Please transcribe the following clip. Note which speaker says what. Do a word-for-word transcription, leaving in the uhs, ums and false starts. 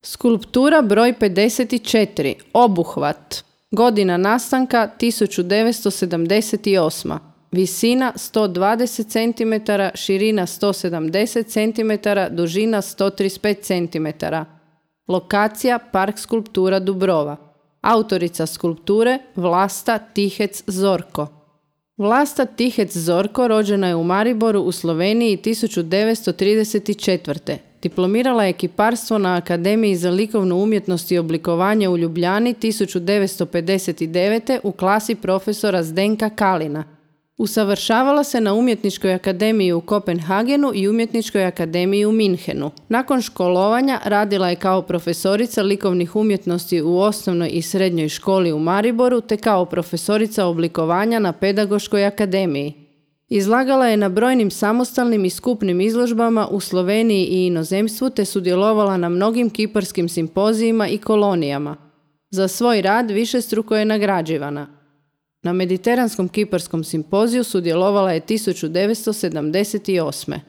Speaker 1: Skulptura broj pedeset četiri. Obuhvat. Godina nastanka tisuću devetsto sedamdeset osma. Visina sto dvadeset centimetara, širina sto sedamdeset centimetara, dužina sto trideset pet centimetara. Lokacija Park skulptura Dubrova. Autorica skulpture Vlasta Tihec Zorko. Vlasta Tihec Zorko rođena je u Mariboru u Sloveniji tisuću devetsto trideset četvrte. Diplomirala je kiparstvo na Akademiji za likovnu umjetnost i oblikovanje u Ljubljani tisuću devetsto pedeset devete u klasi profesora Zdenka Kalina. Usavršavala se na Umjetničkoj akademiji u Kopenhagenu i Umjetničkoj akademiji u Minhenu. Nakon školovanja radila je kao profesorica likovnih umjetnosti u osnovnoj i srednjoj školi u Mariboru te kao profesorica oblikovanja na Pedagoškoj akademiji. Izlagala je na brojnim samostalnim i skupnim izložbama u Sloveniji i inozemstvu te sudjelovala na mnogim kiparskim simpozijima i kolonijama. Za svoj rad višestruko je nagrađivana. Na Mediteranskom kiparskom simpoziju sudjelovala je tisuću devetsto sedamdeset osme.